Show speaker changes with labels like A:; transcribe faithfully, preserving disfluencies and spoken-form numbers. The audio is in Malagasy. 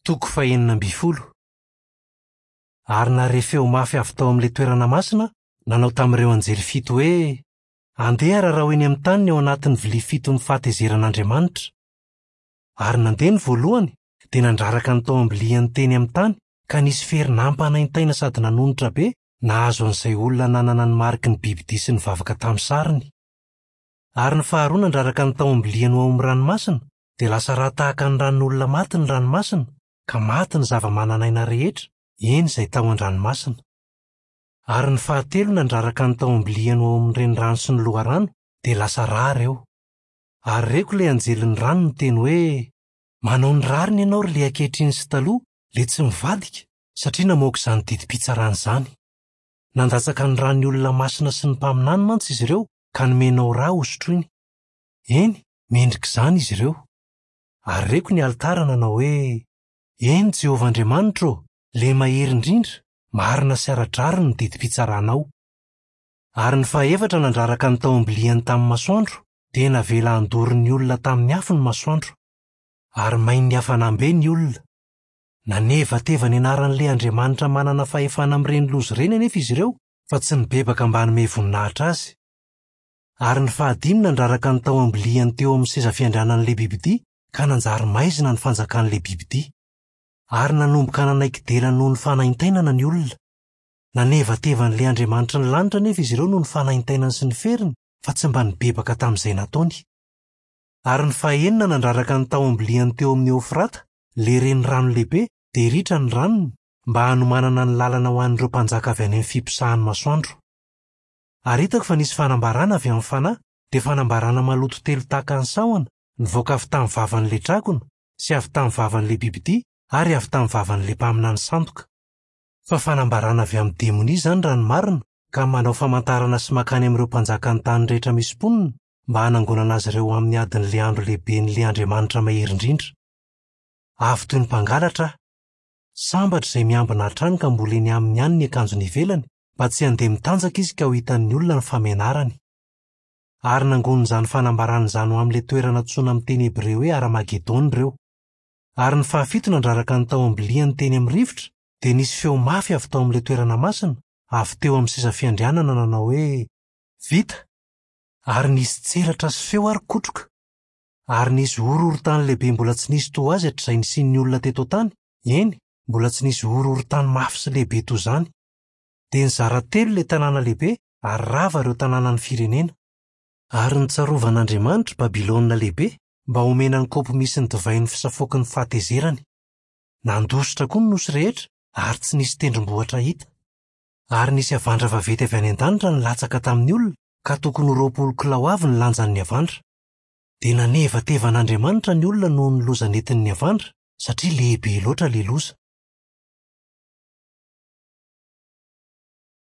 A: Toko fahenina ambin'ny folo. Ary nahare feo mafy avy tao amin'ilay toerana masina nanao tamin'ireo anjely fito hoe: "Andeha rarao eny amin'ny tany ny ao anatin'ny vilia fiton'ny fahatezeran'Andriamanitra." Ary nandeha ny voalohany, dia nandraraka ny tao am-biliany teny amin'ny tany, ka nisy fery nampanaintaina sady nanonitra be nahazo an'izay olona nanana ny mariky ny bibidia sy nivavaka tamin'ny sariny. Ary ny faharoa nandraraka ny tao am-biliany ho ao amin'ny ranomasina, dia lasa rà tahaka ny ran'olona maty ny ranomasina, ka maty ny zava-manan'aina rehetra, eny izay tao an-dranomasina. Ary ny fahatelo nandraraka ny tao am-biliany ho ao amin'ny renirano sy ny loharano, dia lasa rà ireo. Ary reko ilay anjelin'ny rano niteny hoe: "Manao ny rariny ianao ry ilay ankehitriny sy taloha, ilay tsy mivadika, satria namoaka izany didim-pitsarana izany. Nandatsaka ny ran'ny olona masina sy ny mpaminany mantsy izy ireo ka nomenao rà hosotroiny. Eny, mendrika izany izy ireo." Ary reko ny alitara nanao hoe: "Eny Jehovah Andriamanitro ô, ilay mahery indrindra, marina sy ara-drariny ny didim-pitsaranao." Ary ny fahefatra nandraraka ny tao am-biliany tamin'ny masoandro, dia navela handoro ny olona tamin'ny afo ny masoandro. Ary main'ny hafanam-be ny olona. Nanevateva ny anaran'ilay Andriamanitra manana fahefana amin'ireny loza ireny anefa izy ireo, fa tsy nibebaka mba hanome voninahitra azy. Ary ny fahadimy nandraraka ny tao am-biliany teo amin'ny seza fiandrianan'ilay bibidia, ka nanjary maizina ny fanjakan'ilay bibidia. Ary nanomboka nanaiky dera noho ny fanaintainana ny olona. Nanevateva an'ilay Andriamanitry ny lanitra anefa izy ireo noho ny fanaintainany sy ny feriny, fa tsy mba nibebaka tamin'izay nataony. Ary ny fahenina nandraraka ny tao am-biliany teo amin'ny Eofrata, ilay renirano lehibe, dia ritra ny ranony, mba hanomanana ny lalana ho an'ireo mpanjaka avy any amin'ny fiposahan'ny masoandro. Ary hitako fa nisy fanambarana avy amin'ny fanahy, dia fanambarana maloto telo tahaka ny sahona, nivoaka avy tamin'ny vavan'ilay dragona, sy avy tamin'ny vavan'ilay bibidia, ary avy tamin'ny vavan'ilay mpaminany sandoka. Fa fanambarana avy amin'ny demonia izany raha ny marina, ka manao famantarana sy mankany amin'ireo mpanjakan'ny tany rehetra misy mponina, mba hanangonana azy ireo amin'ny adin'ilay andro lehiben'ilay Andriamanitra mahery indrindra. Avy toy ny mpangalatra aho. Sambatra izay miambina hatrany ka mbola eny aminy ihany ny akanjony ivelany, mba tsy handeha mitanjaka izy ka ho hitan'ny olona ny famenarany. Ary nangonin'izany fanambarana izany ho amin'ilay toerana antsoina amin'ny teny hebreo hoe Aramagedona ireo. Ary ny fahafito nandraraka ny tao am-biliany teny amin'ny rivotra, dia nisy feo mafy avy tao amin'ilay toerana masina, avy teo amin'ny seza fiandrianana nanao hoe: "Vita!" Ary nisy tselatra sy feo ary kotroka. Ary nisy horohorontany lehibe mbola tsy nisy toa azy hatrizay nisian'ny olona teto an-tany, eny, mbola tsy nisy horohorontany mafy sy lehibe toy izany. Dia nizara telo ilay tanàna lehibe ary rava ireo tanànan'ny firenena. Ary nitsarovan'Andriamanitra Babylona lehibe mba homena ny kaopy misy ny divain'ny fisafoaky ny fahatezerany. Nandositra koa ny nosy rehetra ary tsy nisy tendrombohitra hita. Ary nisy havandra vaventy avy any an-danitra nilatsaka tamin'ny olona, ka tokony ho roapolo kilao avy ny lanjan'ny havandra. Dia nanevateva an'Andriamanitra ny olona noho ny loza nentin'ny havandra, satria lehibe loatra ilay loza.